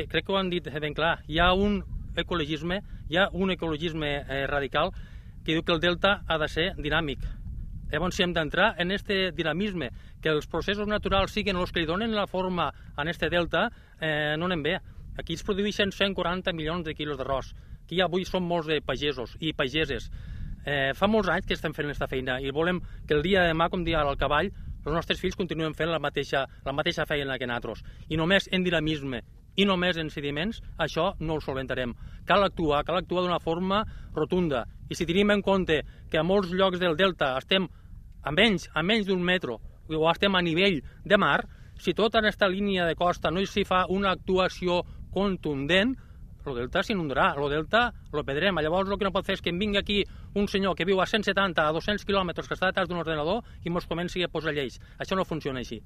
crec que ho han dit ben clar, hi ha un ecologisme radical que diu que el delta ha de ser dinàmic. Llavors, si hem d'entrar en aquest dinamisme, que els processos naturals siguin els que li donen la forma a aquest delta, no anem bé. Aquí es produeixen 140 milions de quilos d'arròs. Aquí avui som molts de pagesos i pageses. Fa molts anys que estem fent aquesta feina i volem que el dia de demà, com dia al cavall, els nostres fills continuen fent la mateixa feina que nosaltres. I només en dinamisme i només en sediments, això no ho solventarem. Cal actuar d'una forma rotunda. I si tenim en compte que a molts llocs del delta estem a menys d'un metro o estem a nivell de mar, si tota aquesta línia de costa no s'hi fa una actuació contundent, el delta s'inundarà, el delta lo perdrem. Llavors el que no pot fer és que em vingui aquí un senyor que viu a 170, a 200 quilòmetres, que està detrás d'un ordenador i ens comenci a posar lleis. Això no funciona així.